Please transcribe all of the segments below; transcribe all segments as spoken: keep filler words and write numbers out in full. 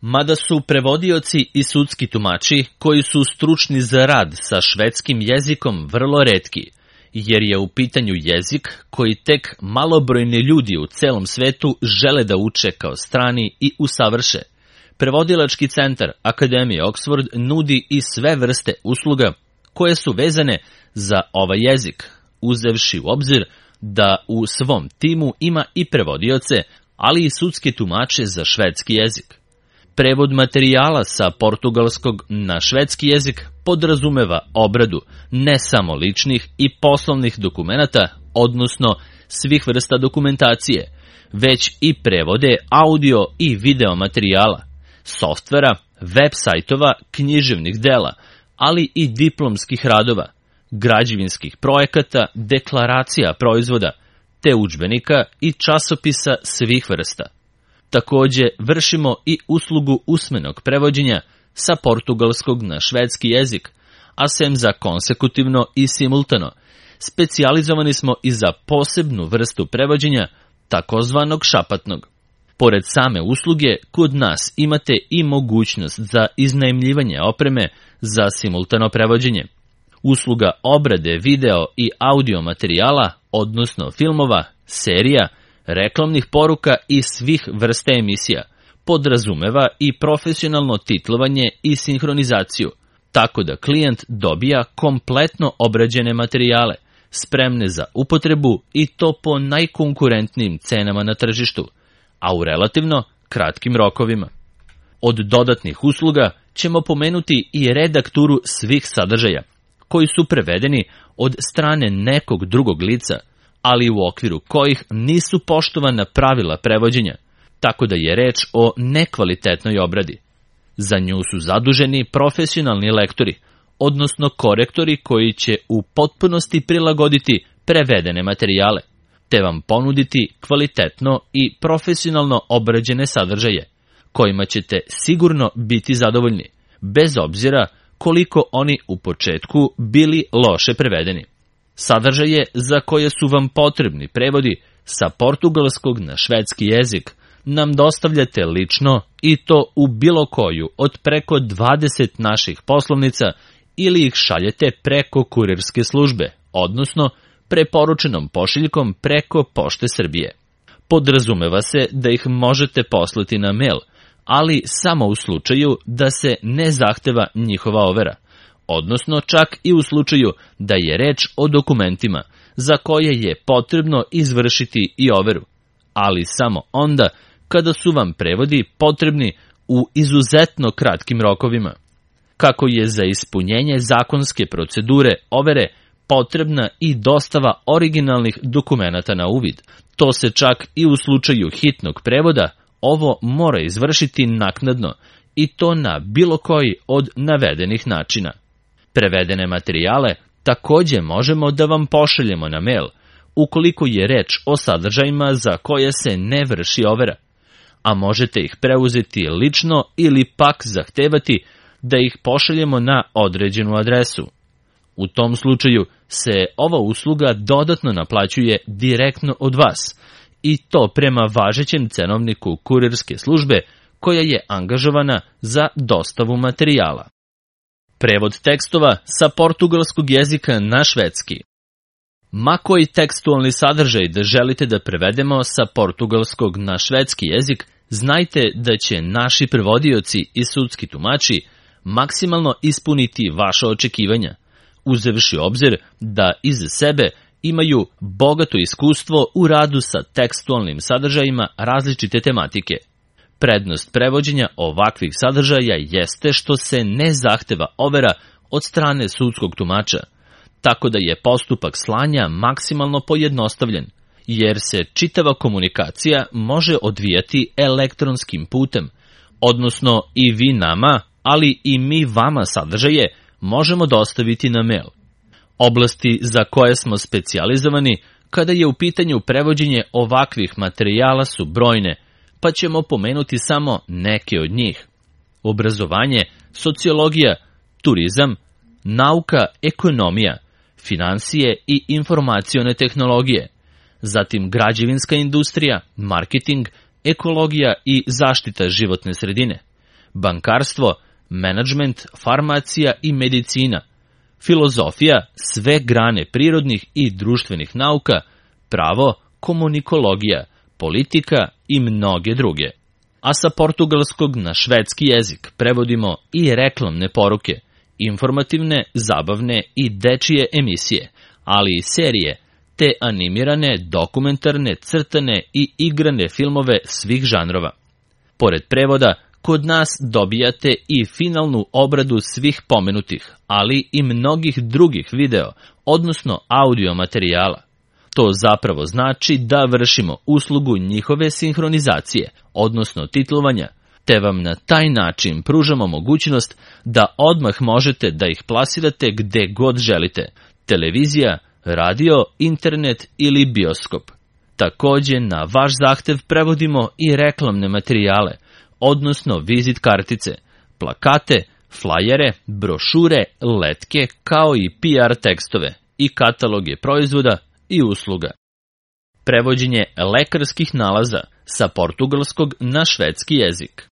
Mada su prevodioci i sudski tumači koji su stručni za rad sa švedskim jezikom vrlo retki, jer je u pitanju jezik koji tek malobrojni ljudi u celom svetu žele da uče kao strani i usavrše. Prevodilački centar Akademije Oxford nudi i sve vrste usluga koje su vezane za ovaj jezik, uzevši u obzir da u svom timu ima i prevodioce, ali i sudske tumače za švedski jezik. Prevod materijala sa portugalskog na švedski jezik podrazumeva obradu ne samo ličnih i poslovnih dokumenata, odnosno svih vrsta dokumentacije, već i prevode audio i video materijala, softvera, web sajtova, književnih dela, ali i diplomskih radova, građevinskih projekata, deklaracija proizvoda, te udžbenika i časopisa svih vrsta. Takođe, vršimo i uslugu usmenog prevođenja sa portugalskog na švedski jezik, a sem za konsekutivno i simultano, specijalizovani smo i za posebnu vrstu prevođenja, takozvanog šapatnog. Pored same usluge, kod nas imate i mogućnost za iznajmljivanje opreme za simultano prevođenje. Usluga obrade video i audio materijala, odnosno filmova, serija, reklamnih poruka i svih vrsta emisija, podrazumeva i profesionalno titlovanje i sinhronizaciju, tako da klijent dobija kompletno obrađene materijale, spremne za upotrebu i to po najkonkurentnijim cenama na tržištu, a u relativno kratkim rokovima. Od dodatnih usluga ćemo pomenuti i redakturu svih sadržaja, koji su prevedeni od strane nekog drugog lica, ali u okviru kojih nisu poštovana pravila prevođenja, tako da je reč o nekvalitetnoj obradi. Za nju su zaduženi profesionalni lektori, odnosno korektori koji će u potpunosti prilagoditi prevedene materijale, te vam ponuditi kvalitetno i profesionalno obrađene sadržaje, kojima ćete sigurno biti zadovoljni, bez obzira koliko oni u početku bili loše prevedeni. Sadržaje za koje su vam potrebni prevodi sa portugalskog na švedski jezik nam dostavljate lično i to u bilo koju od preko dvadeset naših poslovnica ili ih šaljete preko kurirske službe, odnosno preporučenom pošiljkom preko Pošte Srbije. Podrazumeva se da ih možete poslati na mail, ali samo u slučaju da se ne zahteva njihova overa, odnosno čak i u slučaju da je reč o dokumentima za koje je potrebno izvršiti i overu, ali samo onda kada su vam prevodi potrebni u izuzetno kratkim rokovima. Kako je za ispunjenje zakonske procedure overe potrebna i dostava originalnih dokumenata na uvid, to se čak i u slučaju hitnog prevoda ovo mora izvršiti naknadno i to na bilo koji od navedenih načina. Prevedene materijale takođe možemo da vam pošaljemo na mail, ukoliko je reč o sadržajima za koje se ne vrši overa, a možete ih preuzeti lično ili pak zahtevati da ih pošaljemo na određenu adresu. U tom slučaju se ova usluga dodatno naplaćuje direktno od vas, i to prema važećem cenovniku kurirske službe koja je angažovana za dostavu materijala. Prevod tekstova sa portugalskog jezika na švedski. Ma koji tekstualni sadržaj da želite da prevedemo sa portugalskog na švedski jezik, znajte da će naši prevodioci i sudski tumači maksimalno ispuniti vaše očekivanja, uzevši obzir da iza sebe imaju bogato iskustvo u radu sa tekstualnim sadržajima različite tematike. Prednost prevođenja ovakvih sadržaja jeste što se ne zahteva overa od strane sudskog tumača, tako da je postupak slanja maksimalno pojednostavljen, jer se čitava komunikacija može odvijati elektronskim putem, odnosno i vi nama, ali i mi vama sadržaje možemo dostaviti na mail. Oblasti za koje smo specijalizovani kada je u pitanju prevođenje ovakvih materijala su brojne, pa ćemo pomenuti samo neke od njih. Obrazovanje, sociologija, turizam, nauka, ekonomija, finansije i informacione tehnologije, zatim građevinska industrija, marketing, ekologija i zaštita životne sredine, bankarstvo, menadžment, farmacija i medicina, filozofija, sve grane prirodnih i društvenih nauka, pravo, komunikologija, politika i mnoge druge. A sa portugalskog na švedski jezik prevodimo i reklamne poruke, informativne, zabavne i dečije emisije, ali i serije, te animirane, dokumentarne, crtane i igrane filmove svih žanrova. Pored prevoda, kod nas dobijate i finalnu obradu svih pomenutih, ali i mnogih drugih video, odnosno audio materijala. To zapravo znači da vršimo uslugu njihove sinhronizacije, odnosno titlovanja, te vam na taj način pružamo mogućnost da odmah možete da ih plasirate gde god želite, televizija, radio, internet ili bioskop. Takođe, na vaš zahtev prevodimo i reklamne materijale, odnosno vizit kartice, plakate, flajere, brošure, letke, kao i P R tekstove i kataloge proizvoda i usluga. Prevođenje lekarskih nalaza sa portugalskog na švedski jezik.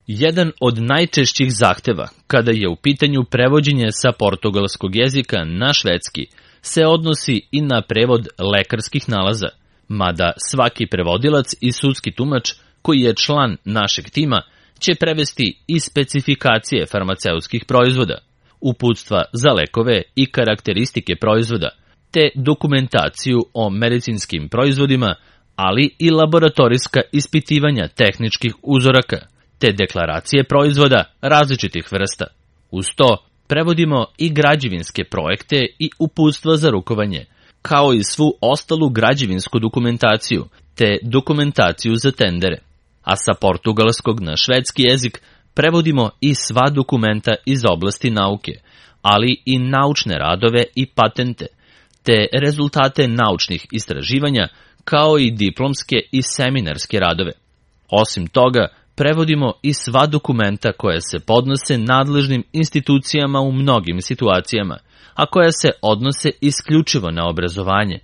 Jedan od najčešćih zahteva kada je u pitanju prevođenje sa portugalskog jezika na švedski se odnosi i na prevod lekarskih nalaza, mada svaki prevodilac i sudski tumač koji je član našeg tima će prevesti i specifikacije farmaceutskih proizvoda, uputstva za lekove i karakteristike proizvoda, te dokumentaciju o medicinskim proizvodima, ali i laboratorijska ispitivanja tehničkih uzoraka, te deklaracije proizvoda različitih vrsta. Uz to, prevodimo i građevinske projekte i uputstva za rukovanje, kao i svu ostalu građevinsku dokumentaciju, te dokumentaciju za tendere. A sa portugalskog na švedski jezik prevodimo i sva dokumenta iz oblasti nauke, ali i naučne radove i patente, te rezultate naučnih istraživanja, kao i diplomske i seminarske radove. Osim toga, prevodimo i sva dokumenta koja se podnose nadležnim institucijama u mnogim situacijama, a koja se odnose isključivo na obrazovanje.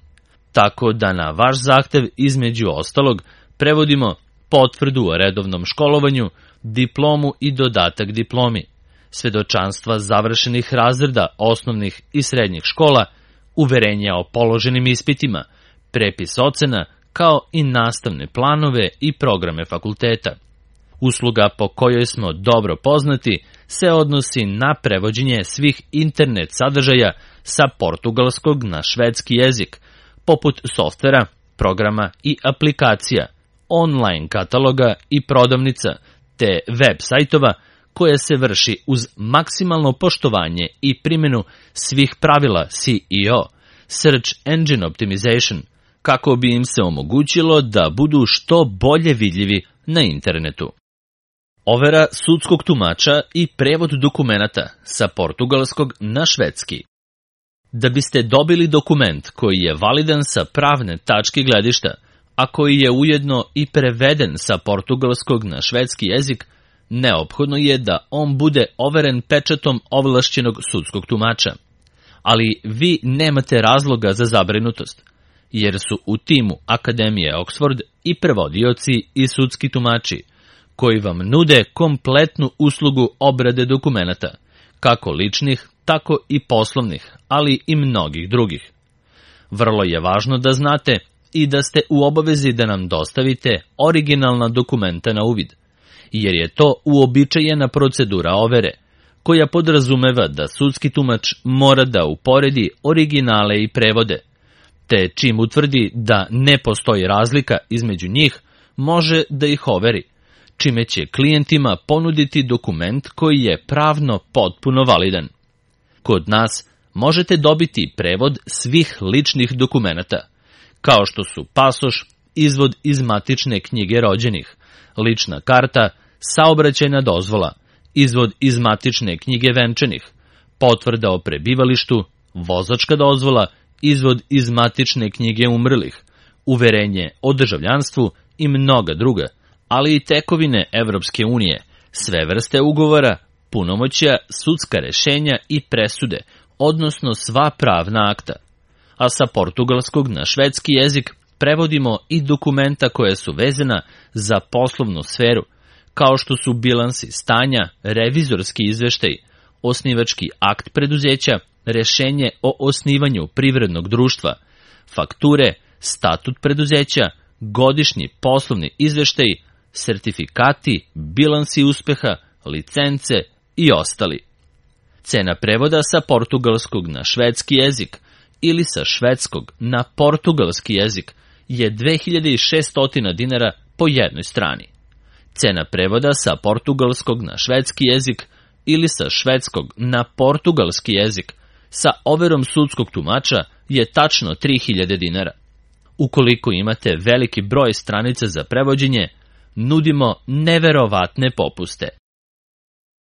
Tako da na vaš zahtev između ostalog prevodimo potvrdu o redovnom školovanju, diplomu i dodatak diplomi, svedočanstva završenih razreda osnovnih i srednjih škola, uverenja o položenim ispitima, prepis ocena, kao i nastavne planove i programe fakulteta. Usluga po kojoj smo dobro poznati se odnosi na prevođenje svih internet sadržaja sa portugalskog na švedski jezik, poput softvera, programa i aplikacija, online kataloga i prodavnica, te web sajtova koje se vrši uz maksimalno poštovanje i primjenu svih pravila S E O, Search Engine Optimization, kako bi im se omogućilo da budu što bolje vidljivi na internetu. Overa sudskog tumača i prevod dokumenata sa portugalskog na švedski. Da biste dobili dokument koji je validan sa pravne tačke gledišta, a koji je ujedno i preveden sa portugalskog na švedski jezik, neophodno je da on bude overen pečatom ovlašćenog sudskog tumača. Ali vi nemate razloga za zabrinutost, jer su u timu Akademije Oxford i prevodioci i sudski tumači, koji vam nude kompletnu uslugu obrade dokumenata, kako ličnih, tako i poslovnih, ali i mnogih drugih. Vrlo je važno da znate i da ste u obavezi da nam dostavite originalna dokumenta na uvid, jer je to uobičajena procedura overe, koja podrazumeva da sudski tumač mora da uporedi originale i prevode, te čim utvrdi da ne postoji razlika između njih, može da ih overi, čime će klijentima ponuditi dokument koji je pravno potpuno validan. Kod nas možete dobiti prevod svih ličnih dokumenata, kao što su pasoš, izvod iz matične knjige rođenih, lična karta, saobraćajna dozvola, izvod iz matične knjige venčanih, potvrda o prebivalištu, vozačka dozvola, izvod iz matične knjige umrlih, uverenje o državljanstvu i mnoga druga, ali i tekovine Evropske unije, sve vrste ugovora, punomoćja, sudska rešenja i presude, odnosno sva pravna akta. A sa portugalskog na švedski jezik prevodimo i dokumenta koja su vezana za poslovnu sferu, kao što su bilansi stanja, revizorski izveštaj, osnivački akt preduzeća, rešenje o osnivanju privrednog društva, fakture, statut preduzeća, godišnji poslovni izveštaj, sertifikati, bilansi uspeha, licence i ostali. Cena prevoda sa portugalskog na švedski jezik ili sa švedskog na portugalski jezik je dve hiljade šesto dinara po jednoj strani. Cena prevoda sa portugalskog na švedski jezik ili sa švedskog na portugalski jezik sa overom sudskog tumača je tačno tri hiljade dinara. Ukoliko imate veliki broj stranica za prevođenje, nudimo neverovatne popuste.